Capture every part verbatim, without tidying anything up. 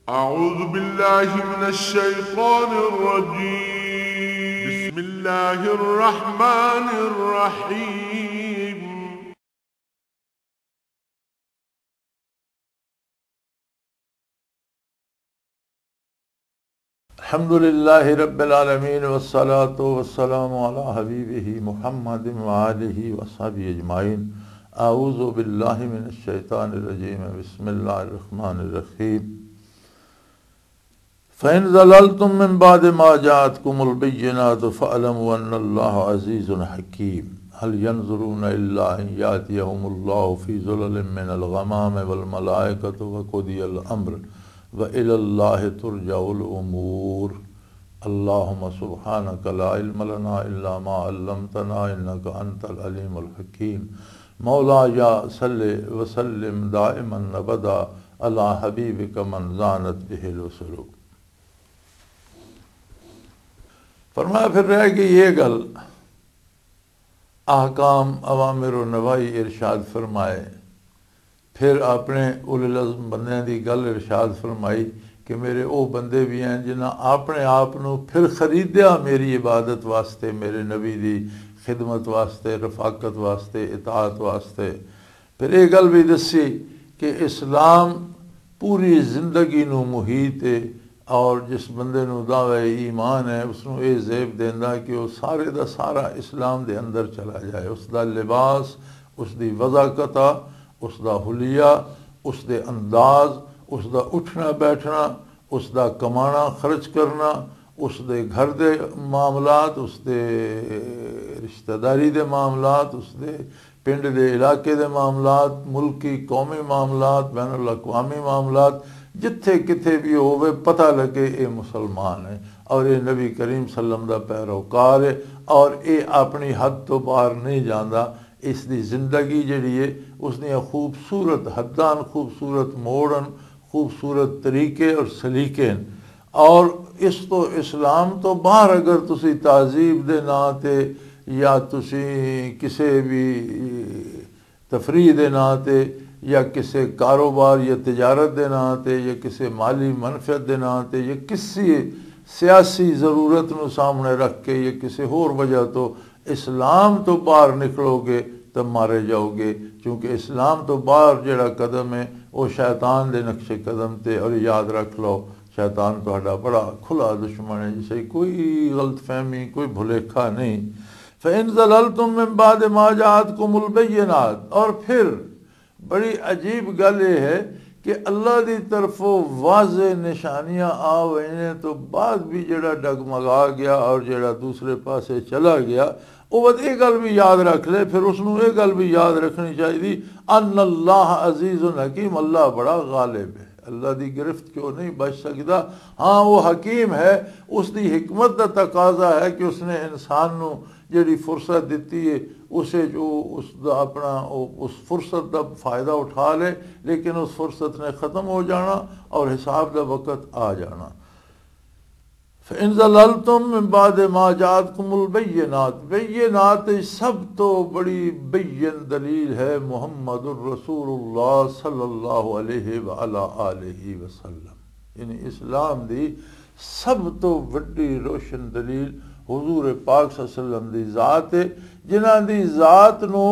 أعوذ بالله من الشيطان الرجيم. بسم الله الرحمن الرحيم. الحمد لله رب العالمين، والصلاة والسلام على حبيبه محمد وآله وصحبه أجمعين. أعوذ بالله من الشيطان الرجيم. بسم الله الرحمن الرحيم. فإن زللتم من بعد ما جاءتكم البينات فاعلموا أن الله عزيز حكيم. هل ينظرون إلا أن يأتيهم الله في ظلل من الغمام والملائكة وقضي الأمر وإلى الله ترجع الأمور. اللهم سبحانك لا علم لنا إلا ما علمتنا إنك أنت العليم الحكيم. مولاي صل وسلم دائما أبدا على حبيبك من زانت به الوصول. فرمایا، پھر رہ گئی یہ گل، احکام، اوامر و نواہی ارشاد فرمائے، پھر اپنے اولو العزم بندیاں دی گل ارشاد فرمائی کہ میرے او بندے بھی ہیں جنہاں اپنے آپ نو پھر خریدیا میری عبادت واسطے، میرے نبی دی خدمت واسطے، رفاقت واسطے، اطاعت واسطے۔ پھر یہ گل بھی دسی کہ اسلام پوری زندگی نو محیط ہے، اور جس بندے نو دعوی ایمان ہے، اس نو یہ زیب دیندا کہ وہ سارے دا سارا اسلام دے اندر چلا جائے، اس دا لباس، اس دی وضع قطع، اس دا حلیہ، اس دے انداز، اس دا اٹھنا بیٹھنا، اس دا کمانا خرچ کرنا، اس دے گھر دے معاملات، اس دے رشتہ داری دے معاملات، اس دے پنڈ دے علاقے دے معاملات، ملکی قومی معاملات، بین الاقوامی معاملات، جتھے کتھے بھی ہووے، پتہ لگے اے مسلمان ہے اور اے نبی کریم صلی اللہ علیہ وسلم دا پیروکار ہے اور اے اپنی حد تو باہر نہیں جاندا۔ اس دی زندگی جڑی ہے، اس دیاں خوبصورت حداں، خوبصورت موڑن، خوبصورت طریقے اور سلیقے ہیں۔ اور اس تو، اسلام تو باہر اگر تسی تہذیب دے ناں تے یا تسی کسے بھی تفریح دے ناں تے یا کسے کاروبار یا تجارت دے ناں تے یا کسے مالی منفعت دے ناں تے یا کسی سیاسی ضرورت نو سامنے رکھ کے یا کسے ہور وجہ تو اسلام تو باہر نکلو گے تو مارے جاؤ گے، کیونکہ اسلام تو باہر جڑا قدم ہے، وہ شیطان دے نقش قدم تے۔ اور یاد رکھ لو، شیطان تہاڈا بڑا کھلا دشمن ہے، جسے کوئی غلط فہمی، کوئی بھلیکھا نہیں۔ فَإِن زَلَلْتُم مِّن بَعْدِ مَا جَاءَتْكُمُ الْبَيِّنَاتُ، اور پھر بڑی عجیب گل یہ ہے کہ اللہ دی طرفوں واضح نشانیاں آ وینے تو بعد بھی جڑا ڈگمگا گیا اور جڑا دوسرے پاسے چلا گیا، وہ وقت یہ گل بھی یاد رکھ لے۔ پھر اس نوں یہ گل بھی یاد رکھنی چاہیے، ان اللہ عزیز حکیم، اللہ بڑا غالب ہے، اللہ دی گرفت چوں نہیں بچ سکدا۔ ہاں، وہ حکیم ہے، اس دی حکمت دا تقاضا ہے کہ اس نے انسان نوں جڑی فرصت دتی ہے، اسے جو اس دا اپنا، او، اس فرصت دا فائدہ اٹھا لے، لیکن اس فرصت نے ختم ہو جانا اور حساب دا وقت آ جانا۔ فَإِن زَلَلْتُم مِّن بَعْدِ مَا جَاءَتْكُمُ الْبَيِّنَاتُ، بینات سب تو بڑی بین دلیل ہے محمد الرسول اللہ صلی اللہ علیہ وعلی آلہ وسلم، یعنی اسلام دی سب تو وڈی روشن دلیل حضور پاک صلی اللہ علیہ وسلم دی ذات ہے، جنہاں دی ذات نو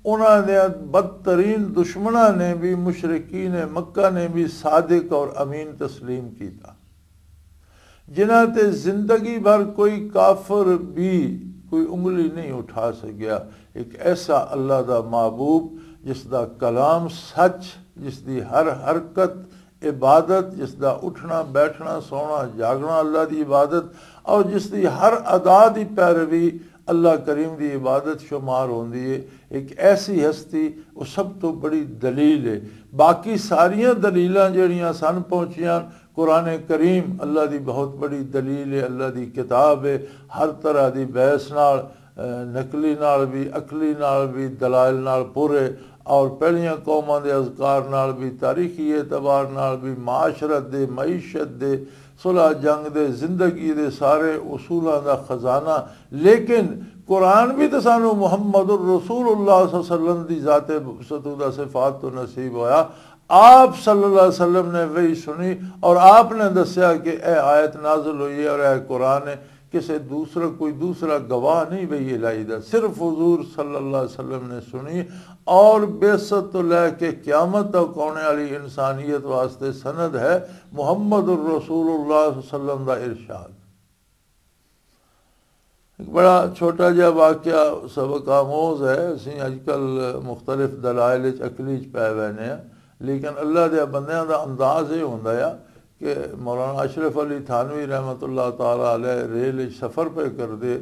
انہاں دے بدترین دشمناں نے بھی، مشرکین مکہ نے بھی صادق اور امین تسلیم کیتا، جنہاں تے زندگی بھر کوئی کافر بھی کوئی انگلی نہیں اٹھا سکیا۔ ایک ایسا اللہ دا محبوب جس دا کلام سچ، جس دی ہر حرکت عبادت، جس دا اٹھنا، بیٹھنا، سونا، جاگنا اللہ دی عبادت، اور جس دی ہر ادا دی پیروی اللہ کریم دی عبادت شمار ہوندی ہے۔ ایک ایسی ہستی، وہ سب تو بڑی دلیل ہے۔ باقی ساریاں دلیلاں جڑیاں سن پہنچیاں، قرآن کریم اللہ دی بہت بڑی دلیل ہے، اللہ دی کتاب ہے، ہر طرح دی بحث نال، نقلی نال بھی، عقلی نال بھی، دلائل نال پورے، اور پہلیاں قوماں دے اذکار نال بھی، تاریخی اعتبار نال بھی، معاشرت دے، معیشت دے، صلح جنگ دے، زندگی دے سارے اصولاں دا خزانہ۔ لیکن قرآن بھی تو سانو محمد الرسول اللہ صلی اللہ علیہ وسلم دی ذات ستودہ صفات تو نصیب ہویا۔ آپ صلی اللہ علیہ وسلم نے وہی سنی اور آپ نے دسیا کہ اے آیت نازل ہوئی ہے اور اے قرآن ہے، کسے دوسرا، کوئی دوسرا گواہ نہیں وہی الہی دا، صرف حضور صلی اللہ علیہ وسلم نے سنی۔ اور بعثت تو لے کے قیامت تک آنے والی انسانیت واسطے سند ہے محمد الرسول اللہ صلی اللہ علیہ وسلم دا ارشاد۔ ایک بڑا چھوٹا جہا واقعہ، سبق آموز ہے۔ اسی اج کل مختلف دلائل وچ، عقلی وچ پے وینے ہیں، لیکن اللہ دے بندیاں دا انداز یہ ہوندا ہے کہ مولانا اشرف علی تھانوی رحمۃ اللہ تعالی علیہ ریل وچ سفر پہ کردے،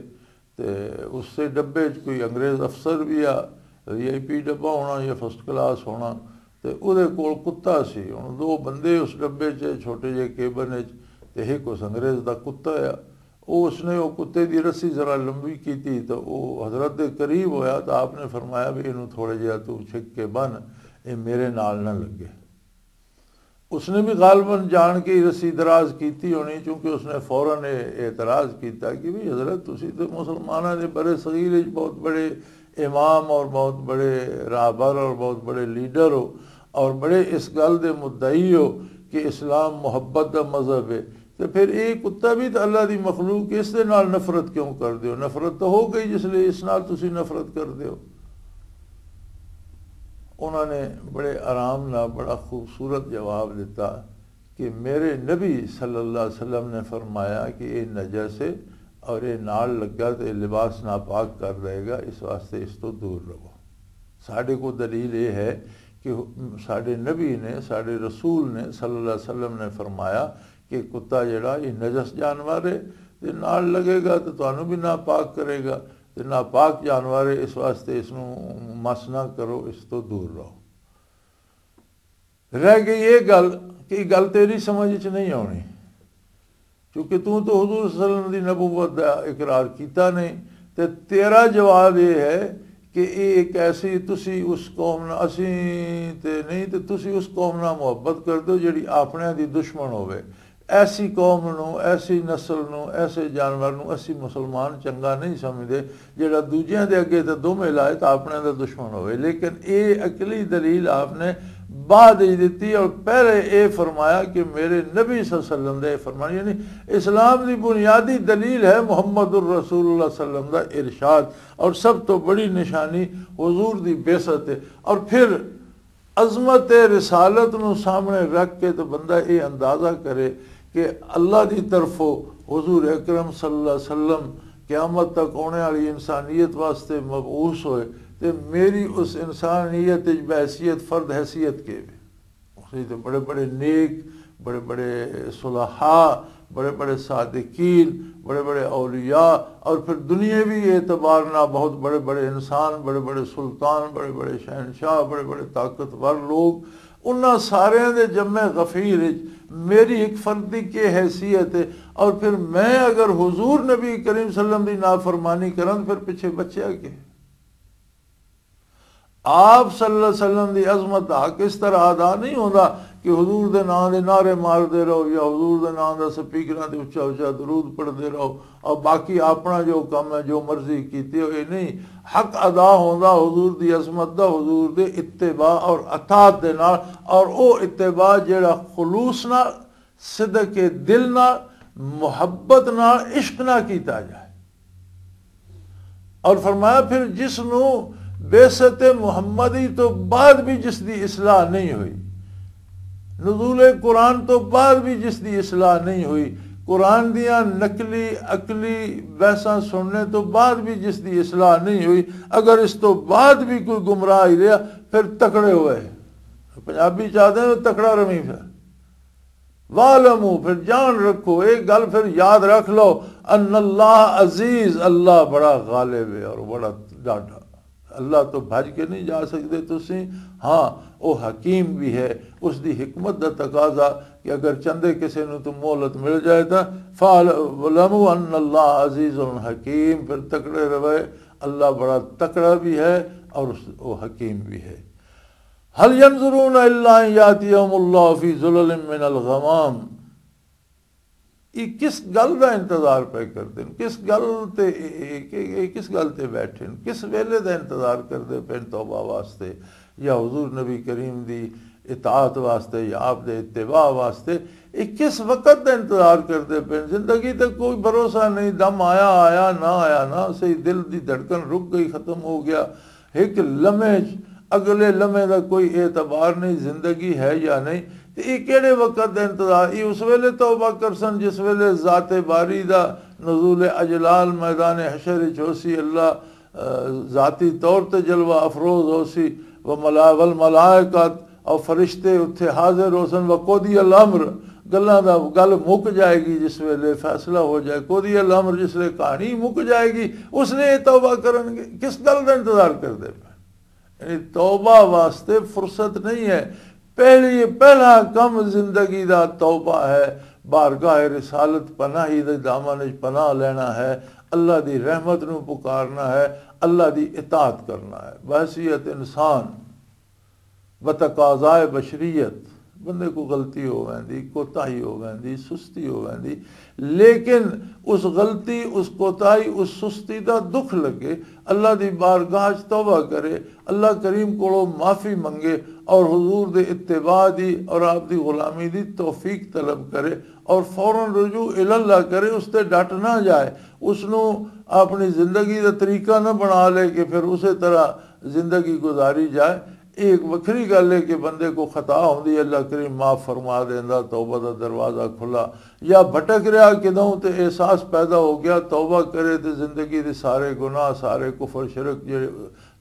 تے اس سے ڈبے وچ کوئی انگریز افسر بھی آ، وی آئی پی ڈبہ ہونا یا فرسٹ کلاس ہونا، تے اودے کول کتا سی۔ ہن دو بندے اس ڈبے چ، چھوٹے جے کیبن وچ، تے ایک اس انگریز دا کتا آ۔ او اس نے او کتے دی رسی ذرا لمبی کیتی، تے او حضرت دے قریب ہویا، تے آپ نے فرمایا بھی اینوں تھوڑے جہا تو چھک کے بن، اے میرے نال نہ لگے۔ اس نے بھی غالباً جان کے ہی رسی دراز کیتی ہونی، چونکہ اس نے فوراً یہ اعتراض کیتا کہ بھی حضرت، تسی تے مسلماناں دے برے صغیر وچ بہت بڑے امام اور بہت بڑے رہبر اور بہت بڑے لیڈر ہو اور بڑے اس گل دے مدعی ہو کہ اسلام محبت دا مذہب ہے، تے پھر یہ کتا بھی تے اللہ دی مخلوق، اس دے نال نفرت کیوں کر دیو؟ نفرت تو ہو گئی، جس لئے اس نال تسی نفرت کر دیو۔ انہوں نے بڑے آرام نال بڑا خوبصورت جواب دیتا کہ میرے نبی صلی اللہ علیہ وسلم نے فرمایا کہ یہ نجس ہے اور یہ نال لگا تو یہ لباس ناپاک کر دے گا، اس واسطے اس تو دور رہو۔ ساڈے کو دلیل یہ ہے کہ ساڈے نبی نے، ساڈے رسول نے صلی اللہ علیہ وسلم نے فرمایا کہ کتا جڑا یہ نجس جانور ہے، تے نال لگے گا تے تانوں بھی ناپاک کرے گا، تے ناپاک جانور ہے، اس واسطے اس نوں مس نہ کرو، اس تو دور رہو۔ رہ گئی یہ گل کہ یہ گل تیری سمجھ وچ نہیں آنی، کیونکہ تو تو حضور صلی اللہ علیہ وسلم دی نبوت دا اقرار کیتا نہیں۔ تے تیرا جواب یہ ہے کہ یہ ایک ایسی، تسی اس قوم نہ، اسی تے نہیں، تے تسی اس قوم نہ محبت کر دو جڑی اپنے دی دشمن ہوے۔ ایسی قوم نو، ایسی نسل نو، ایسے جانور نو اسی مسلمان چنگا نہیں سمجھدے، جڑا دوجیاں دے اگے تے دومے لائے تے اپنے دا دشمن ہوئے۔ لیکن اے عقلی دلیل آپ نے بعد ہی دتی، اور پہلے اے فرمایا کہ میرے نبی صلی اللہ علیہ وسلم دے فرمان، یعنی اسلام دی بنیادی دلیل ہے محمد الرسول اللہ صلی اللہ علیہ وسلم دا ارشاد، اور سب تو بڑی نشانی حضور دی بعثت ہے۔ اور پھر عظمت رسالت نو سامنے رکھ کے تو بندہ یہ اندازہ کرے کہ اللہ دی طرفوں حضور اکرم صلی اللہ علیہ وسلم قیامت تک آنے والی انسانیت واسطے مبعوث ہوئے، تے میری اس انسانیت وچ بحیثیت فرد حیثیت کے وے؟ اس وچ تے بڑے بڑے نیک، بڑے بڑے صلحاء، بڑے بڑے صادقین، بڑے بڑے اولیاء، اور پھر دنیاوی اعتبار نہ بہت بڑے بڑے انسان، بڑے بڑے سلطان، بڑے بڑے شہنشاہ، بڑے بڑے طاقتور لوگ، انہاں سارے دے جمع غفیر وچ میری ایک فرد دی کی حیثیت ہے؟ اور پھر میں اگر حضور نبی کریم صلی اللہ علیہ وسلم دی نافرمانی کراں، پھر پیچھے بچیا کہ آپ صلی اللہ علیہ وسلم دی عظمت دا حق اس طرح ادا نہیں ہوندا کہ حضور دے نام دے نعرے مار دے رہو یا حضور دے نام دا سپیکراں تے اچا اچا درود پڑھ دے رہو، اور باقی اپنا جو کم ہے، جو مرضی کیتے ہو، یہ نہیں۔ حق ادا ہوندا حضور دی عظمت دا، حضور دے اتباع اور اطاعت دے نال، اور او اتباع جڑا خلوص نال، صدق دل نال، محبت نال، عشق نال کیتا جائے۔ اور فرمایا، پھر جس نو بعثت محمدی تو بعد بھی جس دی اصلاح نہیں ہوئی، نزول قرآن تو بعد بھی جس دی اصلاح نہیں ہوئی، قرآن دیاں نقلی عقلی بحثاں سننے تو بعد بھی جس دی اصلاح نہیں ہوئی، اگر اس تو بعد بھی کوئی گمراہ ہی رہا، پھر تکڑے ہوئے۔ پنجابی چاہتے ہیں تکڑا روی پھر۔ وَاعْلَمُوا، پھر جان رکھو، ایک گل پھر یاد رکھ لو، ان اللہ عزیز، اللہ بڑا غالب ہے اور بڑا ڈاڈا۔ اللہ تو بھج کے نہیں جا سکتے تسی۔ ہاں، او حکیم بھی ہے، اس دی حکمت دا تقاضا کہ اگر چندے کسے نو تو مہلت مل جائے تا، فَاعْلَمُوا أَنَّ اللَّهَ عَزِيزٌ حَكِيمٌ، پھر تکڑے روے، اللہ بڑا تکڑا بھی ہے اور اس، او حکیم بھی ہے۔ هل ينظرون إلا أن يأتيهم الله في ظلل من الغمام۔ یہ کس گل دا انتظار پہ کردے نے؟ کس گل تے، اے، اے، اے، اے کس گل تے بیٹھے نے؟ کس ویلے دا انتظار کردے پے نے توبہ واسطے، یا حضور نبی کریم دی اطاعت واسطے، یا آپ دے اتباع واسطے؟ یہ کس وقت دا انتظار کردے پے نے؟ زندگی تے کوئی بھروسہ نہیں، دم آیا آیا، نہ آیا نہ صحیح، دل دی دھڑکن رک گئی، ختم ہو گیا۔ ایک لمحے چ، اگلے لمحے دا کوئی اعتبار نہیں، زندگی ہے یا نہیں۔ تے یہ کہڑے وقت دا انتظار؟ یہ اس ویلے توبہ کرسن جس ویلے ذات باری دا نزول اجلال میدان حشر وچ ہوسی، اللہ، آ، ذاتی طور تے جلوہ افروز ہوسی، و ملا-، والملائکۃ، اور فرشتے اتھے حاضر ہوسن، و قضی الامر، گلاں دا گل مک جائے گی، جس ویلے فیصلہ ہو جائے، قضی الامر، جس ویلے کہانی مک جائے گی، اس نے یہ توبہ کرن گے۔ کس گل دا انتظار کردے پے؟ یعنی توبہ واسطے فرصت نہیں ہے۔ پہلی، پہلا کم زندگی دا توبہ ہے، بارگاہ رسالت پناہی دے دامن وچ پناہ لینا ہے، اللہ دی رحمت نو پکارنا ہے، اللہ دی اطاعت کرنا ہے۔ بحیثیت انسان، بتقاضائے بشریت، بندے کو غلطی ہو ویندی، کوتاہی ہو ویندی، سستی ہو ویندی، لیکن اس غلطی، اس کوتاہی، اس سستی دا دکھ لگے، اللہ دی بارگاہ چ توبہ کرے، اللہ کریم کولوں معافی منگے، اور حضور دے اتباع دی اور آپ دی غلامی دی توفیق طلب کرے، اور فوراً رجوع الی اللہ کرے، اس تے ڈٹ نہ جائے، اس نو اپنی زندگی دا طریقہ نہ بنا لے کہ پھر اسے طرح زندگی گزاری جائے۔ یہ ایک وکھری گل ہے کہ بندے کو خطا ہوندی، اللہ کریم معاف فرما دیندا، توبہ دا دروازہ کھلا، یا بھٹک رہا کدوں تے احساس پیدا ہو گیا، توبہ کرے تے زندگی دے سارے گناہ، سارے کفر شرک جڑے،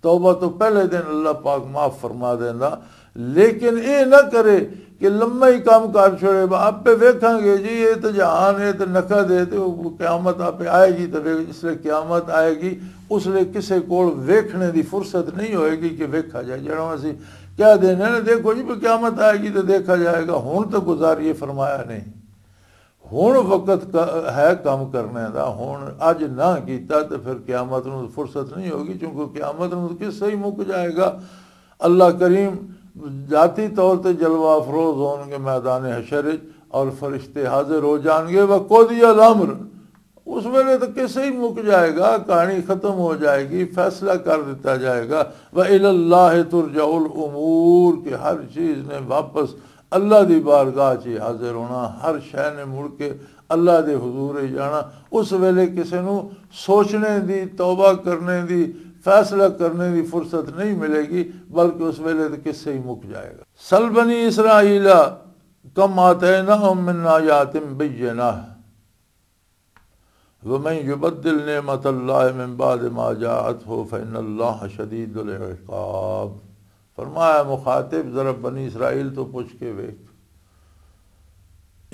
توبہ تو پہلے دن اللہ پاک معاف فرما دیندا۔ لیکن اے نہ کرے کہ لمے ہی کام کر چھوڑے، "با، آپے ویکھاں گے جی، اے تے جہان، اے تے نقد ہے، تے او قیامت آپے آئے گی، تے ویکھ، جس لے قیامت آئے گی، اس لے کسے کول ویکھنے دی فرصت نہیں ہوئے گی کہ ویکھا جائے۔" جڑا اسی کہہ دینے نے، "دیکھو جی، قیامت آئے گی تے دیکھا جائے گا، ہن تے گزاریے، فرمایا نہیں۔" ہن وقت ک-، ہے کم کرنے دا، ہن اج نہ کیتا تے پھر قیامت نوں فرصت نہیں ہوگی، کیونکہ قیامت نوں قصہ ہی مک جائے گا۔ اللہ کریم ذاتی طور تے جلوہ افروز ہون گے میدان حشر وچ، اور فرشتے حاضر ہو جان گے۔ وقضی الامر، اس ویلے تو قصہ ہی مک جائے گا، کہانی ختم ہو جائے گی، فیصلہ کر دیتا جائے گا۔ وَإِلَى اللَّهِ تُرْجَعُ الْأُمُورُ، کہ ہر چیز نے واپس اللہ دی بارگاہ چ حاضر ہونا، ہر شے نے مڑ کے اللہ دے حضور وچ جانا۔ اس ویلے کسے نو سوچنے دی، توبہ کرنے دی، فیصلہ کرنے دی فرصت نہیں ملے گی، بلکہ اس ویلے تے قصہ ہی مک جائے گا۔ سل بنی اسرائیل کم آتیناہم من آیات بینہ، ومن یبدل نعمت اللہ من بعد ما جاءته فإن اللہ شدید العقاب۔ فرمایا، مخاطب، ذرا بنی اسرائیل تو پوچھ کے ویکھ،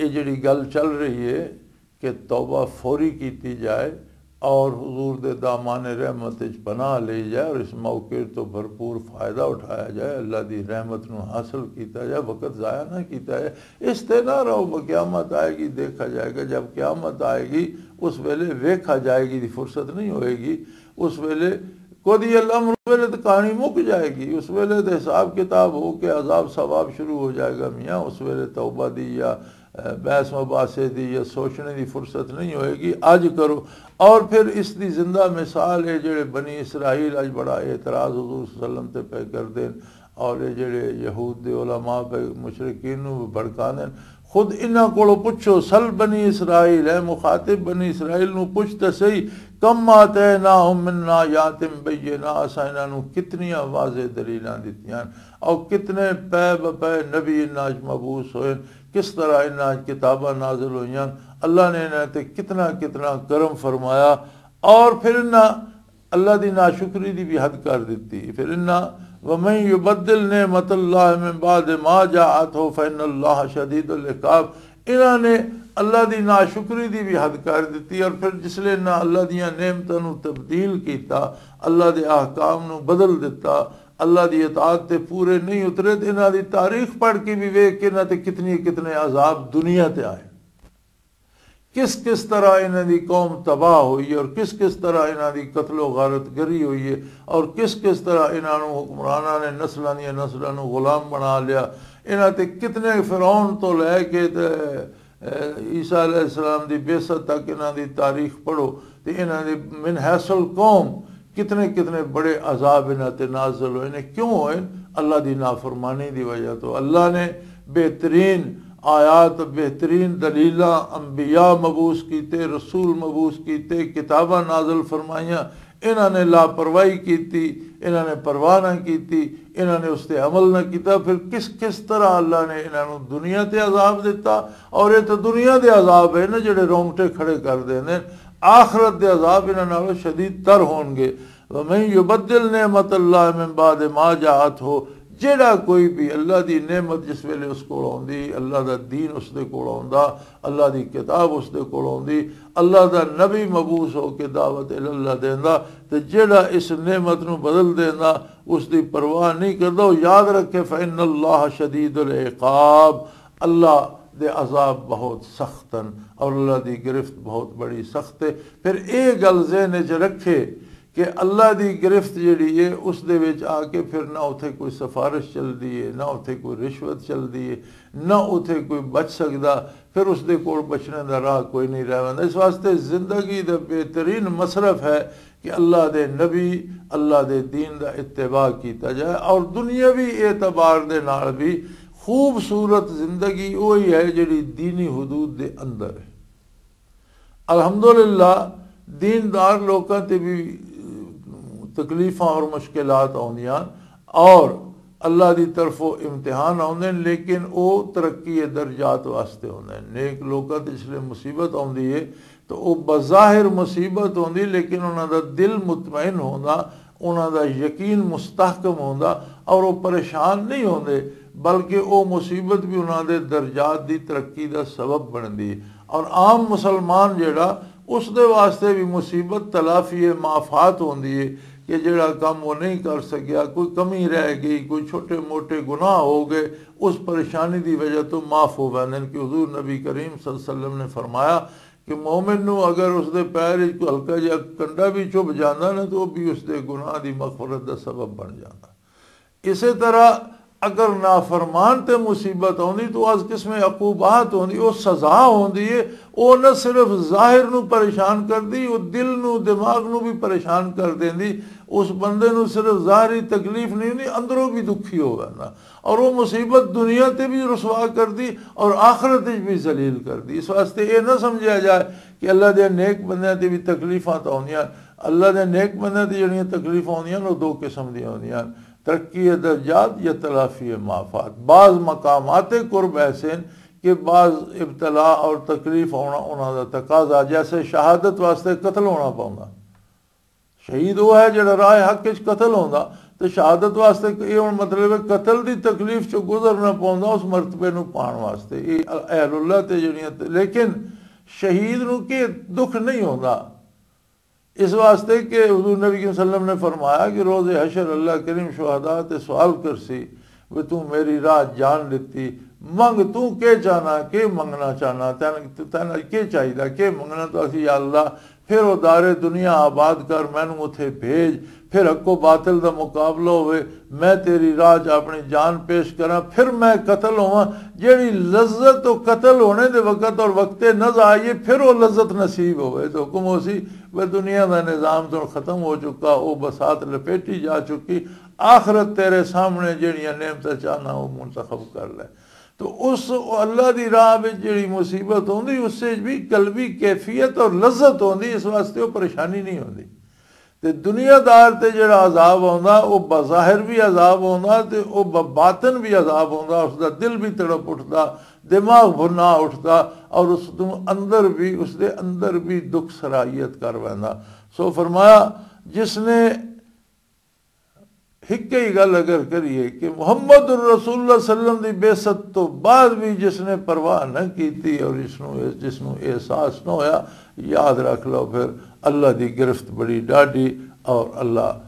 یہ جڑی گل چل رہی ہے کہ توبہ فوری کیتی جائے اور حضور دے دامان رحمت وچ پناہ لئی جائے اور اس موقع تو بھرپور فائدہ اٹھایا جائے، اللہ دی رحمت نو حاصل کیتا جائے، وقت ضائع نہ کیتا جائے۔ اس تے نہ رہو، قیامت آئے گی، دیکھا جائے گا۔ جب قیامت آئے گی، اس ویلے ویکھا جائے گی دی فرصت نہیں ہوئے گی۔ اس ویلے قضی الامر، اس ویلے تو کہانی مک جائے گی، اس ویلے تو حساب کتاب ہو کے عذاب ثواب شروع ہو جائے گا میاں۔ اس ویلے توبہ دی یا، اے، بحث مباحثے دی یا سوچنے دی فرصت نہیں ہوئے گی۔ اج کرو۔ اور پھر اس دی زندہ مثال ہے، جڑے بنی اسرائیل اج بڑا اعتراض حضور صلی اللہ علیہ وسلم تے پہ کردے نے، اور یہ جڑے یہود دے علماء پہ مشرکین نو بھی بھڑکاندے نے، خود انہاں کولوں پچھو، سل بنی اسرائیل، اے مخاطب، بنی اسرائیل نو پچھ تے سہی، کم آتیناہم من آیات بینات، اساں انہاں نو کتنیاں واضح دلیلاں دتیاں، اور کتنے پے بپے نبی انہاں وچ مبعوث ہوئے، کس طرح انہاں وچ کتاباں نازل ہوئیاں، اللہ نے انہاں تے کتنا کتنا کرم فرمایا، اور پھر انہاں اللہ دی ناشکری دی بھی حد کر دتی۔ پھر انہاں، ومن یبدل نعمت اللہ من بعد ما جاءته فإن اللہ شدید العقاب، انہاں نے اللہ دی ناشکری دی بھی حد کر دتی، اور پھر جس لے انہاں اللہ دیاں نعمتاں نو تبدیل کیتا، اللہ دے احکام نو بدل دتا، اللہ دی اطاعت تے پورے نہیں اترے، تے انہاں دی تاریخ پڑھ کے بھی ویکھ کے انہاں تے کتنی کتنے عذاب دنیا تے آئے۔ کس کس طرح انہاں دی قوم تباہ ہوئی اور کس کس طرح انہاں دی قتل و غارت گری ہوئی ہے، اور کس کس طرح انہاں نوں حکمراناں نے نسلاں دیاں نسلاں نوں غلام بنا لیا۔ انہاں تے کتنے فرعون تو لے کے تے عیسیٰ علیہ السلام دی بعثت تک انہاں دی تاریخ پڑھو، تے انہاں دے من حیث القوم کتنے کتنے بڑے عذاب انہاں تے نازل ہوئے نے۔ کیوں ہوئے؟ اللہ دی نافرمانی دی وجہ تو۔ اللہ نے بہترین آیات، بہترین دلیلاں، انبیاء مبعوث کیتے، رسول مبعوث کیتے، کتاباں نازل فرمائیاں، انہاں نے لاپرواہی کیتی، انہاں نے پرواہ نہ کیتی، انہاں نے اس تے عمل نہ کیتا۔ پھر کس کس طرح اللہ نے انہاں نوں دنیا تے عذاب دتا؟ اور یہ تو دنیا دے عذاب ہے نا، جڑے رونگٹے کھڑے کر دیندے۔ آخرت دے عذاب انہاں نالوں شدید تر ہون گے۔ ومن یبدل نعمت اللہ من بعد ما جاءت ہو، جیڑا کوئی بھی اللہ دی نعمت جس ویلے اس کول آوندی، اللہ دا دین اس دے کول آوندا، اللہ دی کتاب اس دے کول آوندی، اللہ دا نبی مبعوث ہو کے دعوت اللہ دیندا، تے جیڑا اس نعمت نو بدل دیندا، اس دی پرواہ نہیں کردا، وہ یاد رکھے، فإن اللہ شدید العقاب، اللہ دے عذاب بہت سخت ہیں اور اللہ دی گرفت بہت بڑی سخت ہے۔ پھر اے گل ذہن وچ رکھے کہ اللہ دی گرفت جڑی ہے، اس دے وچ آ کے پھر نہ اتھے کوئی سفارش چلدی ہے، نہ اتھے کوئی رشوت چلدی ہے، نہ اتھے کوئی بچ سکدا، پھر اس دے کول بچنے دا راہ کوئی نہیں رہ ویندا۔ اس واسطے زندگی دا بہترین مصرف ہے کہ اللہ دے نبی، اللہ دے دین دا اتباع کیتا جائے، اور دنیاوی اعتبار دے نال بھی خوبصورت زندگی وہی ہے جڑی دینی حدود دے اندر ہے۔ الحمدللہ، دیندار لوکاں تے بھی تکلیفاں اور مشکلات آوندیاں، اور اللہ دی طرفوں امتحان آوندے نے، لیکن او ترقی درجات واسطے ہوندے نے۔ نیک لوکاں تے جس لے مصیبت آوندی ہے تو او بظاہر مصیبت ہوندی، لیکن انہاں دا دل مطمئن ہوندا، انہاں دا یقین مستحکم ہوندا، اور او پریشان نہیں ہوندے، بلکہ او مصیبت بھی انہاں دے درجات دی ترقی دا سبب بندی۔ اور عام مسلمان جڑا، اس دے واسطے بھی مصیبت تلافی مافات ہوندی ہے کہ جڑا کم وہ نہیں کر سکیا، کوئی کمی رہ گئی، کوئی چھوٹے موٹے گناہ ہو گئے، اس پریشانی دی وجہ تو معاف ہو ویندے نے۔ کہ حضور نبی کریم صلی اللہ علیہ وسلم نے فرمایا کہ مومن نو اگر اس دے پیر وچ کوئی ہلکا جہا کنڈا بھی چبھ جاندا نا، تو وہ بھی اس دے گناہ دی مغفرت دا سبب بن جاندا۔ اسی طرح اگر نافرمان تے مصیبت ہوندی تو از قسم عقوبات ہوندی، او سزا ہوندی ہے۔ او نہ صرف ظاہر نو پریشان کردی، او دل نو، دماغ نو بھی پریشان کر دیندی۔ اس بندے نو صرف ظاہری تکلیف نہیں ہوندی، اندروں بھی دکھی ہو ویندا۔ اور وہ مصیبت دنیا تے بھی رسوا کردی اور آخرت وچ بھی ذلیل کردی۔ اس واسطے یہ نہ سمجھا جائے کہ اللہ دے نیک بندیاں تے بھی تکلیفاں تو ہوندیاں۔ اللہ دے نیک بندیاں تے جڑیاں تکلیفاں ہوندیاں، وہ دو قسم دیاں ہوندیاں۔ ترقی درجات یا تلافی مافات۔ بعض مقامات قرب ایسے ہیں کہ بعض ابتلا اور تکلیف ہونا انہاں دا تقاضا، جیسے شہادت واسطے قتل ہونا پوندا۔ شہید وہ ہے جڑا راہ حق وچ قتل ہوندا، تے شہادت واسطے یہ ہن مطلب ہے قتل دی تکلیف چوں گزرنا پوندا اس مرتبے نو پان واسطے۔ یہ اہل اللہ تے جڑیاں تے، لیکن شہید نو کہ دکھ نہیں ہوندا۔ اس واسطے کہ حضور نبی صلی اللہ علیہ وسلم نے فرمایا کہ روز حشر اللہ کریم شہداء تے سوال کرسی، "وے تو میری راہ جان دتی، منگ تو کے چاہنا، کے منگنا چاہنا، تین تین کے چاہیدا، کے منگنا؟" تو اسی، "یا اللہ، پھر او دار دنیا آباد کر، مینوں اتھے بھیج، پھر حق و باطل دا مقابلہ ہوئے، میں تیری راہ چ اپنی جان پیش کراں، پھر میں قتل ہوواں۔" جیڑی لذت او قتل ہونے دے وقت اور وقت نزع آئیے، پھر او لذت نصیب ہوئے۔ تو حکم ہو سی، وہ دنیا دا نظام تو ختم ہو چکا، وہ بسات لپیٹی جا چکی۔ آخرت تیرے سامنے، جیڑیاں نعمتاں چاہنا، وہ منتخب کر لے۔ تو اس اللہ دی راہ وچ جیڑی مصیبت ہوندی، اس وچ بھی قلبی کیفیت اور لذت ہوندی، اس واسطے وہ پریشانی نہیں ہوندی۔ تے دنیا دار تے جڑا عذاب ہوندا، وہ بظاہر بھی عذاب ہوندا، تے وہ باطن بھی عذاب ہوندا، اس دا دل بھی تڑپ اٹھدا، دماغ بھنا اٹھدا، اور اس دے اندر بھی، اس دے اندر بھی دکھ سرائیت کر ویندا۔ سو فرمایا، جس نے ہک ہی گل اگر کریے کہ محمد الرسول اللہ صلی اللہ علیہ وسلم دی بعثت تو بعد بھی جس نے پرواہ نہ کیتی اور جس نو، جس نو احساس نہ ہویا، یاد رکھ لو، پھر اللہ دی گرفت بڑی ڈاڈی، اور اللہ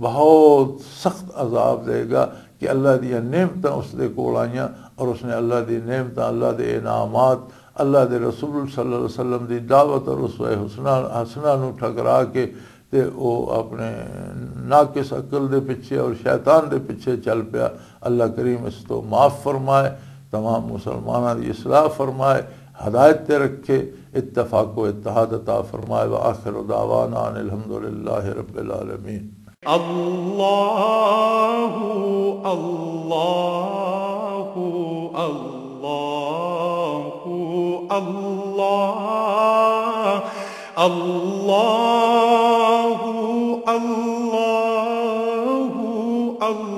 بہت سخت عذاب دے گا کہ اللہ دیاں نعمتاں اس دے کول آئیاں اور اس نے اللہ دی نعمتاں، اللہ دے انعامات، اللہ دے رسول صلی اللہ علیہ وسلم دی دعوت اور اسوہ حسنہ، حسنہ نو ٹھکرا کے تے او اپنے ناقص عقل دے پیچھے اور شیطان دے پیچھے چل پیا۔ اللہ کریم اس تو معاف فرمائے، تمام مسلماناں دی اصلاح فرمائے، ہدایت تے رکھے، اتفاق و اتحاد عطا فرمائے۔ وآخر دعوانا ان الحمدللہ رب العالمین۔ اللہ، اللہ، اللہ، اللہ، اللہ، اللہ، اللہ۔